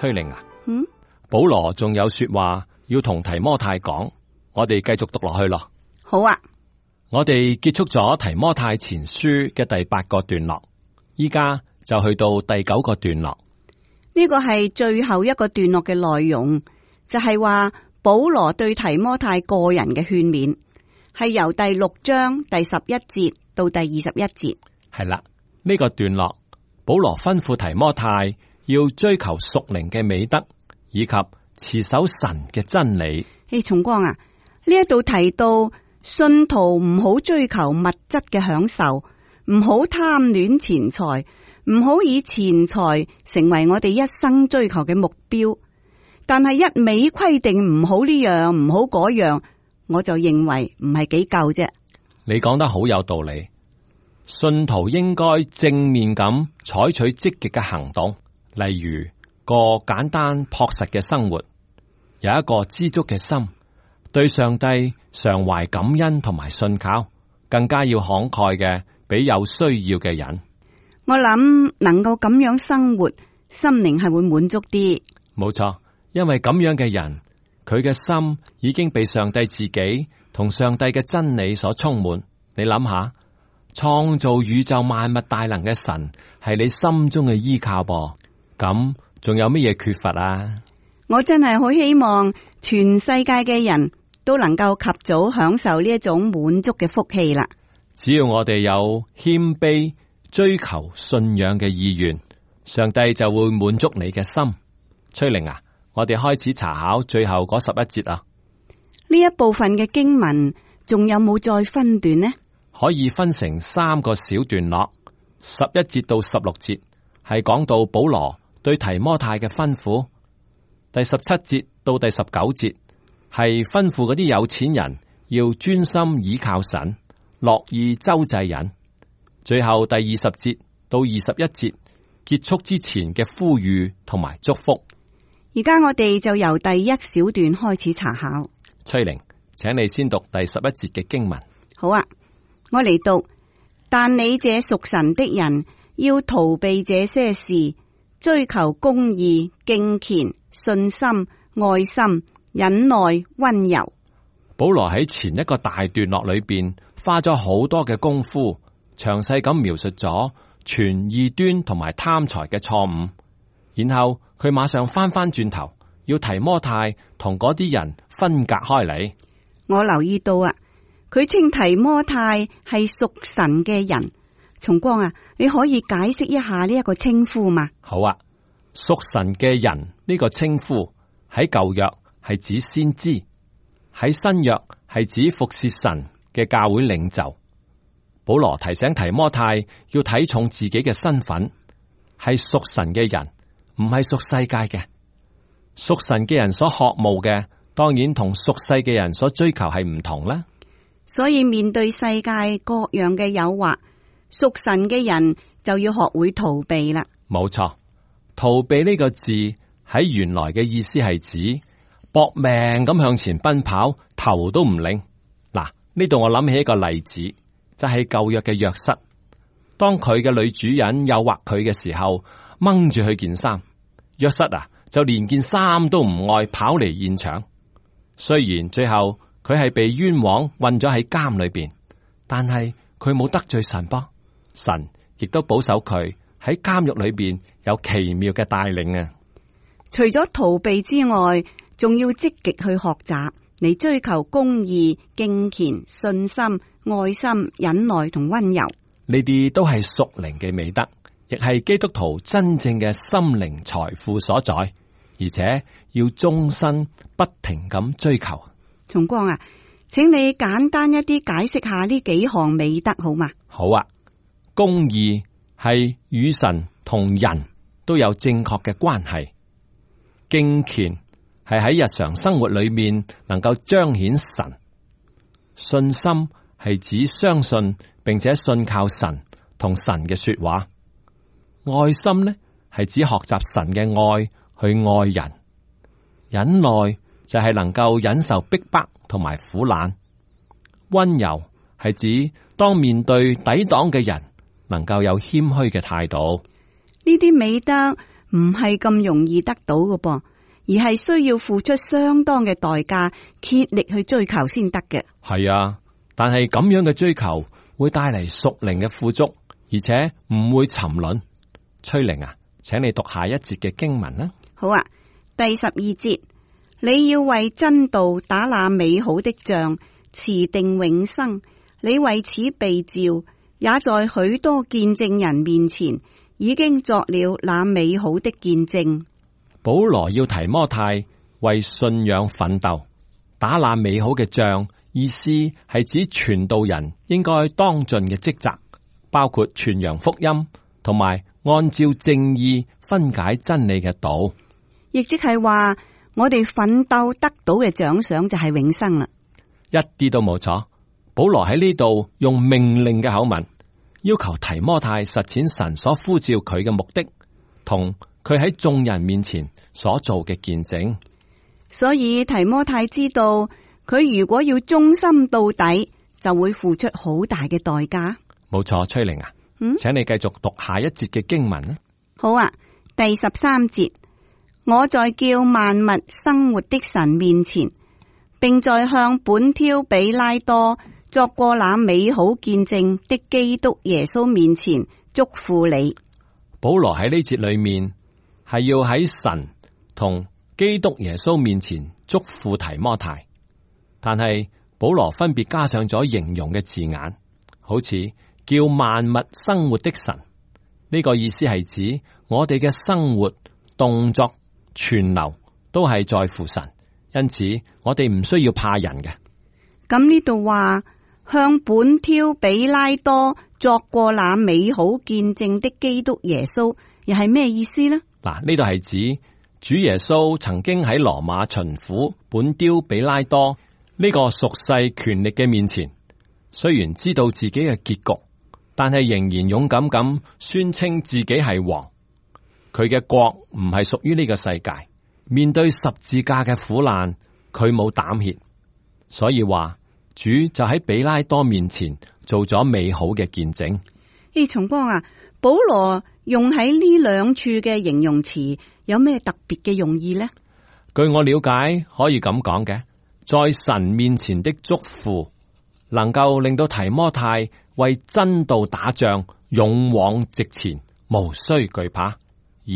崔玲啊，保羅仲有說話要同提摩太講，我哋繼續讀落去咯。好啊，我哋結束咗提摩太前書嘅第8個段落，依家就去到第9個段落。呢個係最後一個段落嘅內容，就係話保羅對提摩太個人嘅勸勉，係由第6章第11節到第21節。係啦，呢個段落保羅吩咐提摩太要追求屬靈嘅美德，以及持守神嘅真理。重光啊，呢一度提到信徒唔好追求物質嘅享受，唔好貪戀錢財，唔好以錢財成為我哋一生追求嘅目標。但係一味規定唔好呢樣唔好嗰樣，我就認為唔係幾夠啫。你講得好有道理，信徒應該正面咁採取積極嘅行動，例如過簡單樸實嘅生活，有一個知足嘅心，對上帝常懷感恩同埋信靠，更加要慷慨嘅俾有需要嘅人。我諗能夠咁樣生活，心靈係會滿足啲。冇錯，因為咁樣嘅人，佢嘅心已經被上帝自己同上帝嘅真理所充滿。你諗下，創造宇宙萬物大能嘅神係你心中嘅依靠噃，咁仲有乜嘢缺乏啊？我真係好希望全世界嘅人都能夠及早享受呢一種滿足嘅福氣啦。只要我哋有謙卑追求信仰嘅意願，上帝就會滿足你嘅心。崔玲啊，我哋開始查考最後嗰11節啊。呢一部分嘅經文仲有冇再分段呢？可以分成3個小段落，11節到16節係講到保羅對提摩太嘅吩咐，第17節到第19節係吩咐嗰啲有錢人要專心倚靠神，樂意周濟人。最後第20節到21節結束之前嘅呼籲同埋祝福。而家我哋就由第1小段開始查考。崔玲，請你先讀第11節嘅經文。好啊，我嚟讀。但你這屬神的人要逃避這些事，追求公義、敬虔、信心、愛心、忍耐、溫柔。保羅喺前一個大段落裏邊花咗好多嘅功夫，詳細咁描述咗傳異端同埋貪財嘅錯誤，然後佢馬上翻轉頭，要提摩太同嗰啲人分隔開嚟。我留意到啊，佢稱提摩太係屬神嘅人。松光啊，你可以解釋一下呢一個稱呼嘛？好啊，屬神嘅人呢個稱呼喺舊約係指先知，喺新約係指服侍神嘅教會領袖。保羅提醒提摩太要睇重自己嘅身份，係屬神嘅人，唔係屬世界嘅。屬神嘅人所渴慕嘅，當然同屬世嘅人所追求係唔同啦。所以面對世界各樣嘅誘惑，屬神嘅人就要學會逃避啦。冇錯，逃避呢個字喺原來嘅意思係指搏命咁向前奔跑，頭都唔擰。嗱，呢度我諗起一個例子，就係舊約嘅約瑟。當佢嘅女主人誘惑佢嘅時候，掹住佢件衫，約瑟啊就連件衫都唔愛，跑嚟現場。雖然最後佢係被冤枉困咗喺監裏邊，但係佢冇得罪神噃，神亦都保守佢喺監獄裏邊有奇妙嘅帶領啊！除咗逃避之外，仲要積極去學習，嚟追求公義、敬虔、信心、愛心、忍耐同溫柔。呢啲都係屬靈嘅美德，亦係基督徒真正嘅心靈財富所在，而且要終身不停咁追求。松光啊，請你簡單一啲解釋下呢幾項美德好嗎？好啊，公義係與神同人都有正確嘅關係，敬虔係喺日常生活裏面能夠彰顯神，信心係指相信並且信靠神同神嘅說話，愛心呢係指學習神嘅愛去愛人，忍耐就係能夠忍受逼迫同埋苦難，溫柔係指當面對抵擋嘅人能夠有謙虛嘅態度。呢啲美德唔係咁容易得到嘅噃，而係需要付出相當嘅代價，竭力去追求先得嘅。係啊，但係咁樣嘅追求會帶嚟屬靈嘅富足，而且唔會沉淪。崔玲啊，請你讀下一節嘅經文啦。好啊，第12節，你要為真道打那美好的仗，持定永生。你為此被召，也在許多見證人面前已經作了那美好的見證。保羅要提摩太為信仰奮鬥，打那美好嘅仗，意思係指傳道人應該當盡嘅職責，包括傳揚福音同埋按照正義分解真理嘅道，亦即係話我哋奮鬥得到嘅獎賞就係永生啦。一啲都冇錯。保羅喺呢度用命令嘅口吻，要求提摩太實踐神所呼召佢嘅目的，同佢喺眾人面前所做嘅見證。所以提摩太知道，佢如果要忠心到底，就會付出好大嘅代價。冇錯，崔玲啊，請你繼續讀下一節嘅經文啦。好啊，第13節，我在叫萬物生活的神面前，並在向本挑比拉多作過那美好見證的基督耶穌面前囑咐你。保羅喺呢節裏面係要喺神同基督耶穌面前囑咐提摩太，但係保羅分別加上咗形容嘅字眼，好似叫萬物生活的神，呢個意思係指我哋嘅生活、動作、存留都係在乎神，因此我哋唔需要怕人嘅。咁呢度話向本挑比拉多作過那美好見證的基督耶穌，又係咩意思呢？嗱，呢度係指主耶穌曾經喺羅馬巡撫本丟比拉多呢個屬世權力嘅面前，雖然知道自己嘅結局，但係仍然勇敢咁宣稱自己係王。佢嘅國唔係屬於呢個世界，面對十字架嘅苦難，佢冇膽怯，所以話主就喺比拉多面前做咗美好嘅見證。松光啊，保羅用喺呢兩處嘅形容詞有咩特別嘅用意呢？據我了解，可以咁講嘅，在神面前的囑咐，能夠令到提摩太為真道打仗，勇往直前，無需懼怕；而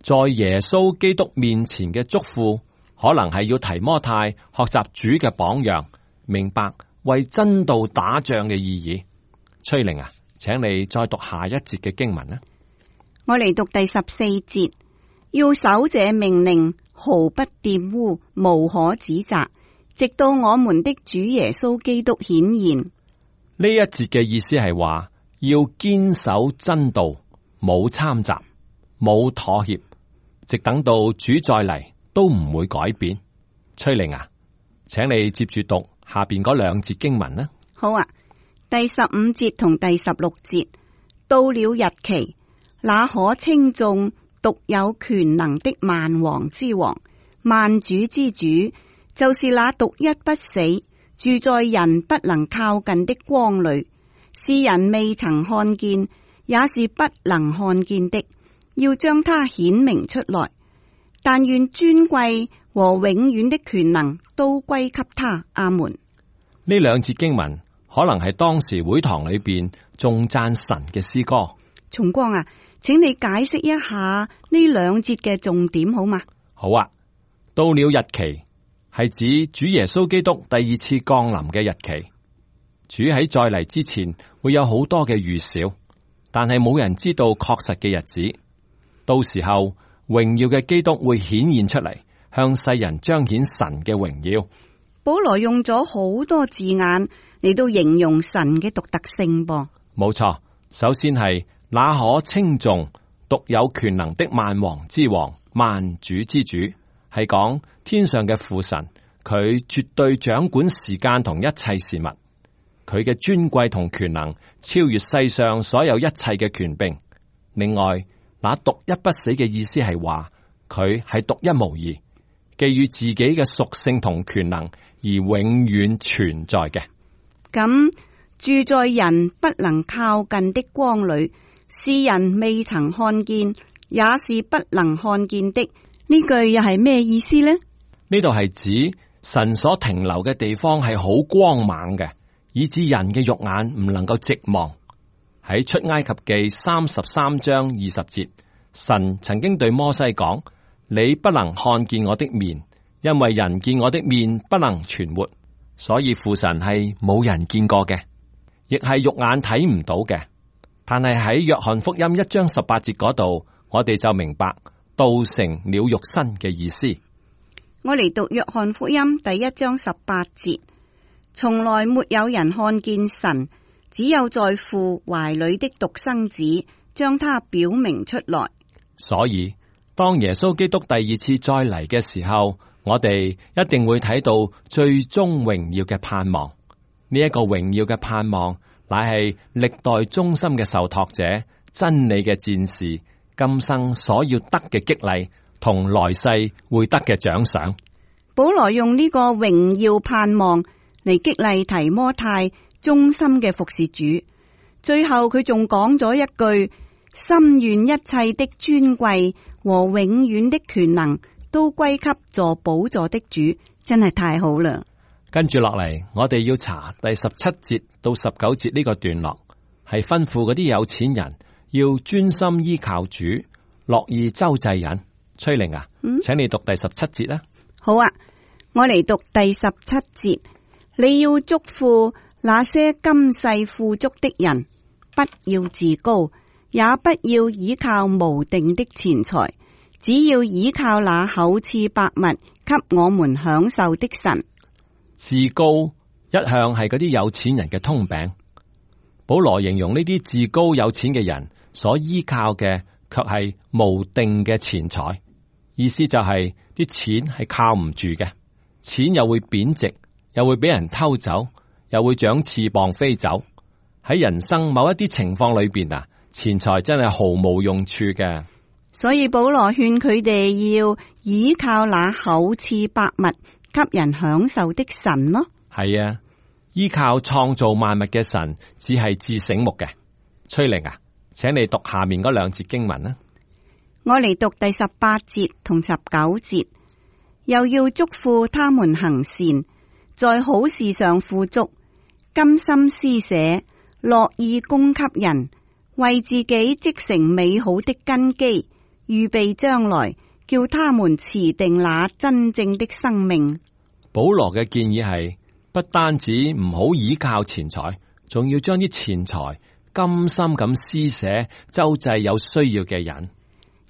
在耶穌基督面前嘅囑咐，可能係要提摩太學習主嘅榜樣，明白為真道打仗嘅意義。崔玲啊，請你再讀下一節嘅經文啦。我嚟讀第14節，要守這命令，毫不玷污，無可指責，直到我們的主耶穌基督顯現。呢一節嘅意思係話，要堅守真道，冇參雜，冇妥協，直等到主再嚟都唔會改變。崔玲啊，請你接住讀下邊嗰兩節經文啦。好啊，第15節同第16節，到了日期，那可稱頌獨有權能的萬王之王、萬主之主，就是那獨一不死、住在人不能靠近的光裏，是人未曾看見，也是不能看見的，要將他顯明出來。但願尊貴和永遠的權能都歸給他。阿門。呢兩節經文可能係當時會堂裏邊頌讚神嘅詩歌。松光啊，請你解釋一下呢兩節嘅重點好嗎？好啊，到了日期係指主耶穌基督第二次降臨嘅日期。主喺再嚟之前會有好多嘅預兆，但係冇人知道確實嘅日子。到時候榮耀嘅基督會顯現出嚟，向世人彰顯神嘅榮耀。保羅用咗好多字眼嚟到形容神嘅獨特性噃。冇錯，首先係那可稱頌獨有權能的萬王之王、萬主之主，係講天上嘅父神，佢絕對掌管時間同一切事物，佢嘅尊貴同權能超越世上所有一切嘅權柄。另外，那獨一不死嘅意思係話佢係獨一無二，基於自己嘅屬性同權能而永遠存在嘅。咁住在人不能靠近的光裏，是人未曾看見，也是不能看見的。呢句又係咩意思呢？呢度係指神所停留嘅地方係好光猛嘅，以致人嘅肉眼唔能夠直望。喺出埃及記33章20節，神曾經對摩西講：你不能看見我的面，因為人見我的面不能存活。所以父神係冇人見過嘅，亦係肉眼睇唔到嘅。但係喺約翰福音1章18節嗰度，我哋就明白道成了肉身嘅意思。我嚟讀約翰福音第1章18節，從來沒有人看見神，只有在父懷裏的獨生子將他表明出來。所以當耶穌基督第二次再嚟嘅時候，我哋一定會睇到最終榮耀嘅盼望。呢一個榮耀嘅盼望，乃係歷代忠心嘅受託者、真理嘅戰士，今生所要得嘅激勵，同來世會得嘅獎賞。保羅用呢個榮耀盼望嚟激勵提摩太忠心嘅服侍主。最後佢仲講咗一句：心願一切的尊貴和永遠的權能都歸給坐寶座的主。真係太好啦！跟住落嚟，我哋要查第17節到19節呢個段落，係吩咐嗰啲有錢人要專心依靠主，樂意周濟人。崔玲啊，請你讀第17節啦。好啊，我嚟讀第17節。你要囑咐那些今世富足的人，不要自高，也不要倚靠無定的錢財，只要倚靠那厚賜百物給我們享受的神。自高一向係嗰啲有錢人嘅通病。保羅形容呢啲自高有錢嘅人所依靠嘅，卻係無定嘅錢財。意思就係啲錢係靠唔住嘅，錢又會貶值，又會俾人偷走，又會長翅膀飛走。喺人生某一啲情況裏邊啊，錢財真係毫無用處嘅。所以保羅勸佢哋要倚靠那厚賜百物給人享受的神咯。係啊，依靠創造萬物嘅神，只係至醒目嘅。崔玲啊，請你讀下面嗰兩節經文啦。我嚟讀第18節同19節，又要囑咐他們行善，在好事上富足，甘心施捨，樂意供給人，為自己積成美好的根基，預備將來，叫他們持定那真正的生命。保羅嘅建議係，不單止唔好倚靠錢財，仲要將啲錢財甘心咁施捨，周濟有需要嘅人。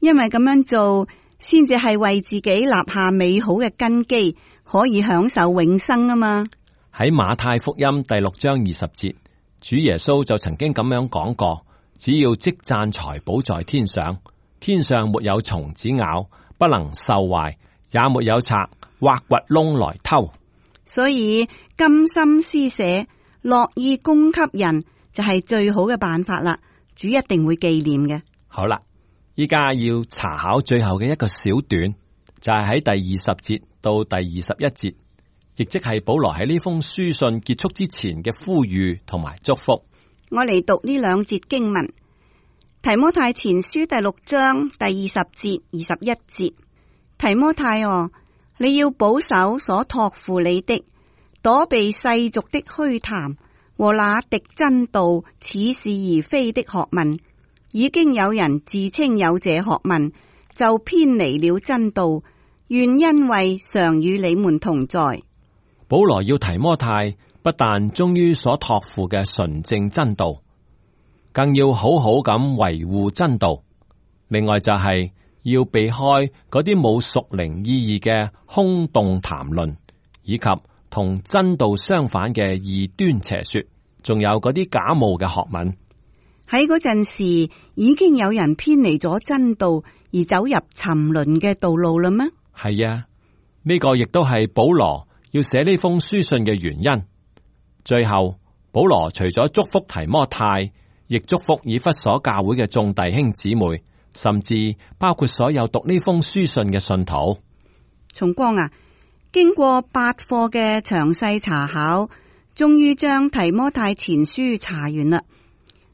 因為咁樣做，先至係為自己立下美好嘅根基，可以享受永生啊嘛。喺馬太福音第6章20節，主耶穌就曾經咁樣講過：只要積攢財寶在天上，天上沒有蟲子咬，不能鏽壞，也沒有賊挖掘窿來偷。所以甘心施捨，樂意供給人，就係最好嘅辦法啦。主一定會紀念嘅。好啦，依家要查考最後嘅一個小段，就係喺第20節到第21節，亦即係保羅喺呢封書信結束之前嘅呼籲同埋祝福。我嚟讀呢兩節經文：提摩太前書第6章第20節21節，提摩太哦，你要保守所託付你的，躲避世俗的虛談和那敵真道、似是而非的學問。已經有人自稱有這學問，就偏離了真道。願恩惠常與你們同在。保羅要提摩太不但忠於所託付嘅純正真道，更要好好咁維護真道。另外就係要避開嗰啲冇屬靈意義嘅空洞談論，以及同真道相反嘅異端邪說，仲有嗰啲假冒嘅學問。喺嗰陣時，已經有人偏離咗真道而走入沉淪嘅道路啦咩？係啊，呢個亦都係保羅要寫呢封書信嘅原因。最後，保羅除咗祝福提摩太，亦祝福以弗所教會嘅眾弟兄姊妹，甚至包括所有讀呢封書信嘅信徒。崇光啊，經過8課嘅詳細查考，終於將提摩太前書查完啦。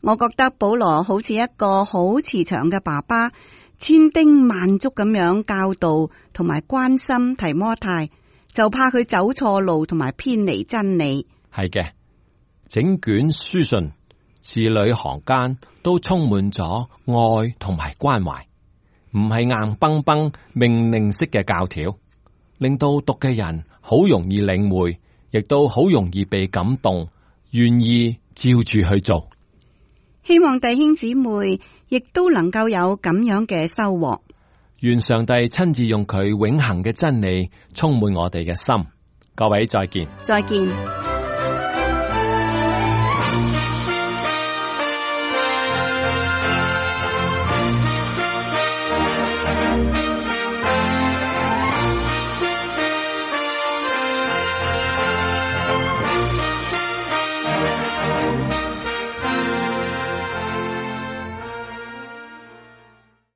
我覺得保羅好似一個好慈祥嘅爸爸，千叮萬囑咁樣教導同埋關心提摩太，就怕佢走錯路同埋偏離真理。係嘅，整卷書信字裏行間都充滿咗愛同埋關懷，唔係硬崩崩命令式嘅教條，令到讀嘅人好容易領會，亦都好容易被感動，願意照住去做。希望弟兄姊妹亦都能夠有咁樣嘅收穫。願上帝親自用佢永恆嘅真理充滿我哋嘅心。各位再見。再見。